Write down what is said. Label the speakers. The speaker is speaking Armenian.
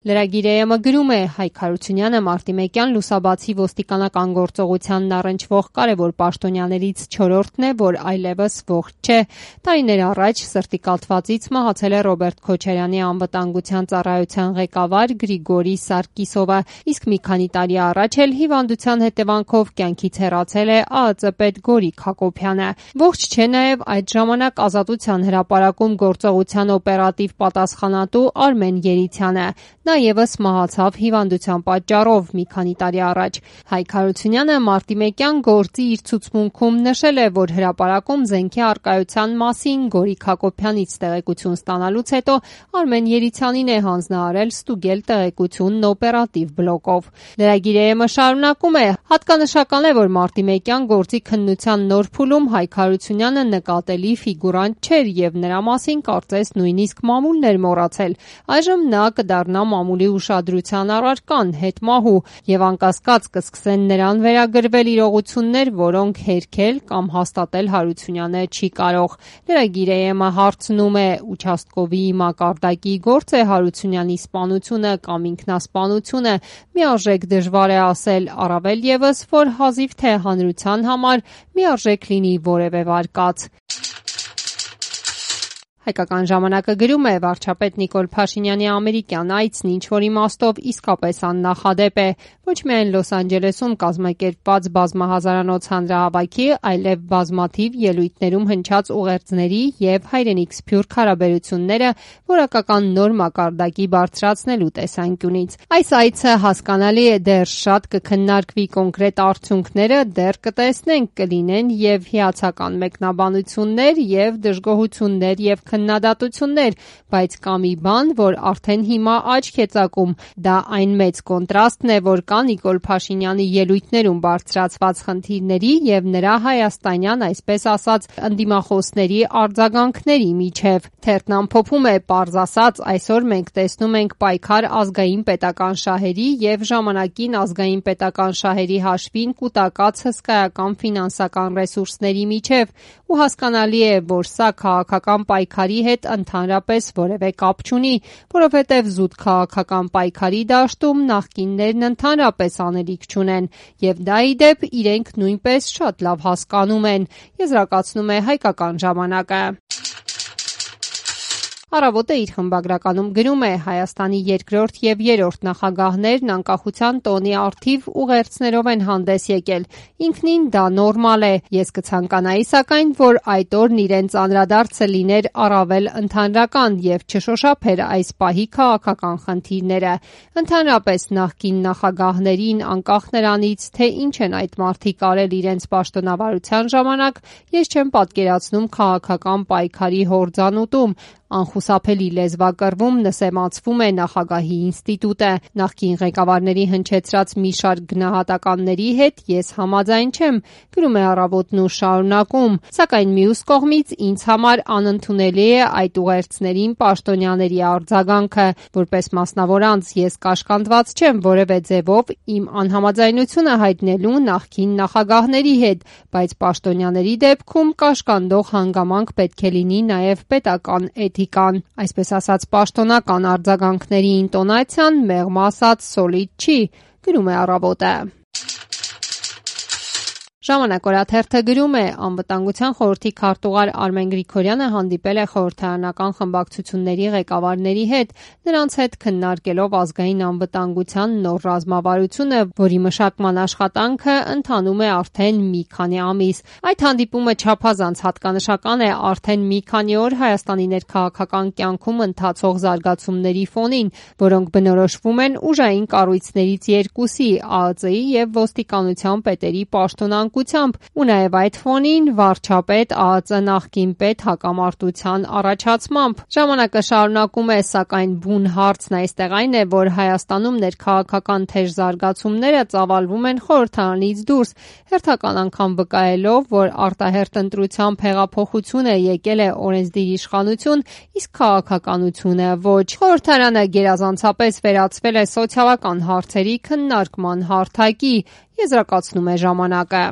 Speaker 1: Լրագիր գրում է Հայկ Հարությունյանը մարտի 1-յան լուսաբացի ոստիկանական գործողությանն առնչվող կարևոր պաշտոնյաներից 4-րդն է, որ այլևս ողջ չէ։ Տարիներ առաջ սրտի կաթվածից մահացել է Ռոբերտ Քոչարյանի անվտանգության ծառայության ղեկավար Գրիգորի Սարկիսովը, իսկ մի քանի տարի առաջ էլ հիվանդության հետևանքով կյանքից հեռացել է ԱԱԾ պետ Գորիկ Հակոբյանը։ Ողջ չէ նաև այդ ժամանակ Ազատության հրապարակում գործողության օպերատիվ պատասխանատու Արմեն Երիցյանը։ Նա ևս մահացավ հիվանդության պատճառով մի քանի տարի առաջ։ Հայկ Հարությունյանը մարտի 1-յան գործի իր ցուցմունքում նշել է, որ հրապարակում զենքի առկայության մասին Գորիկ Հակոբյանից տեղեկություն ստանալուց հետո Արմեն Երիցյանին է հանձնարարել ստուգել տեղեկությունն օպերատիվ բլոկով։ Լրագիր շարունակում է. հատկանշական է, որ մարտի 1-յան գործի քննության նոր փուլում Հայկ Հարությունյանը նկատելի ֆիգուրանտ չէր եւ նրա մասին կարծես նույնիսկ մամուլն էր մոռացել։ Այժմ նա կդառնա մամուլի ուշադրության առարկան, հետմահու եւ անկասկած կսկսեն նրան վերագրվել իրողություններ, որոնք հերքել կամ հաստատել Հարությունյանը չի կարող։ Լրագիր հարցնում է. участковի մակարդակի գործ է Հարությունյանի սպանությունը կամ ինքնասպանությունը, միարժեք դժվար է ասել, առավել եւս, որ հազիվ թե հանրության համար միարժեք լինի որևէ վարկած։ Հայկական ժամանակը գրում է. վարչապետ Նիկոլ Փաշինյանի ամերիկյան այցն ինչ-որ իմաստով իսկապես աննախադեպ է։ Ոչ միայն Լոս Անջելեսում կազմակերպված բազմահազարանոց հանրահավաքի, այլև բազմաթիվ ելույթներում հնչած ուղերձների եւ հայրենիք սփյուռք հարաբերությունները որակական նոր մակարդակի բարձրացնելու տեսանկյունից։ Այս այցը հասկանալի է, դեռ շատ կքննարկվի կոնկրետ արդյունքները, դեռ կտեսնենք, կլինեն եւ հիացական մեկնաբանություններ եւ դժգոհություններ եւ քննադատություններ, բայց կա մի բան, որ արդեն հիմա աչք է ծակում։ Դա այն մեծ կոնտրաստն է, որ կա Նիկոլ Փաշինյանի ելույթներում բարձրացված խնդիրների եւ նրա հայաստանյան, այսպես ասած, ընդդիմախոսների արձագանքների միջև։ Թերթն ամփոփում է. պարզ ասած, այսօր մենք տեսնում ենք պայքար ազգային պետական շահերի եւ ժամանակին ազգային պետական շահերի հաշվին կուտակած հսկայական ֆինանսական ռեսուրսների միջև, ու հասկանալի է, որ սա քաղաքական պայքարի հետ ընդհանրապես որևէ կապ չունի, որովհետև զուտ քաղաքական պայքարի դաշտում նախկիններն ընդհանրապես անելիք չունեն, եւ դա ի դեպ իրենք նույնպես շատ լավ հասկանում են, եզրակացնում է Հայկական ժամանակը։ Առավոտը իր խմբագրականում գրում է. Հայաստանի երկրորդ եւ երրորդ նախագահներն անկախության տոնի առթիվ ուղերձներով են հանդես եկել։ Ինքնին դա նորմալ է։ Ես կցանկանայի սակայն, որ այդ օրն իրենց անդրադարձը լիներ առավել ընդհանրական եւ չշոշափեր այս պահի քաղաքական խնդիրները։ Ընդհանրապես նախկին նախագահներին, անկախ նրանից, թե ինչ են այդ մարդիկ արել իրենց պաշտոնավարության ժամանակ, ես չեմ պատկերացնում քաղաքական պայքարի հորձանուտում։ Անխուսափելի լեզվակռվում նսեմացվում է նախագահի ինստիտուտը։ Նախկին ղեկավարների հնչեցրած մի շարք գնահատականների հետ ես համաձայն չեմ, գրում է Առավոտն ու շարունակում, սակայն մյուս կողմից ինձ համար անընդունելի է այդ ուղերձներին պաշտոնյաների արձագանքը։ Որպես մասնավոր անձ ես կաշկանդված չեմ որևէ ձևով իմ անհամաձայնությունը հայտնելու նախկին նախագահների հետ, բայց պաշտոնյաների դեպքում կաշկանդող հանգամանք պետք է լինի նաև պետական էթիկան։ Այսպես ասած, պաշտոնական արձագանքների ինտոնացիան մեղմ ասած սոլիդ չի, գրում է Առավոտը։ Ժամանակ օրաթերթը գրում է. անվտանգության խորհրդի քարտուղար Արմեն Գրիգորյանը հանդիպել է խորհրդարանական խմբակցությունների ղեկավարների հետ, նրանց հետ քննարկելով ազգային անվտանգության նոր ռազմավարությունը, որի մշակման աշխատանքը ընթանում է արդեն մի քանի ամիս։ Այդ հանդիպումը չափազանց հատկանշական է արդեն մի քանի օր Հայաստանի ներքաղաքական կյանքում ընթացող զարգացումների ֆոնին, որոնք բնորոշվում են ուժային կառույցներից երկուսի՝ ԱԱԾ-ի եւ ոստիկանության պետերի պաշտոնանկությամբ, ու նաև այդ ֆոնին վարչապետ ԱԱԾ նախկին պետ հակամարտության առաջացմամբ։ Ժամանակը շարունակում է, սակայն բուն հարցն այստեղ այն է, որ Հայաստանում ներքաղաքական թեժ զարգացումները ծավալվում են խորհրդարանից դուրս, հերթական անգամ վկայելով, որ արտահերթ ընտրությամբ հեղափոխությունը եկել է օրենսդիր իշխանություն, իսկ քաղաքականությունը ոչ։ Խորհրդարանը գերազանցապես վերածվել է սոցիալական հարցերի քննարկման հարթակի, եզրակացնում է ժամանակը։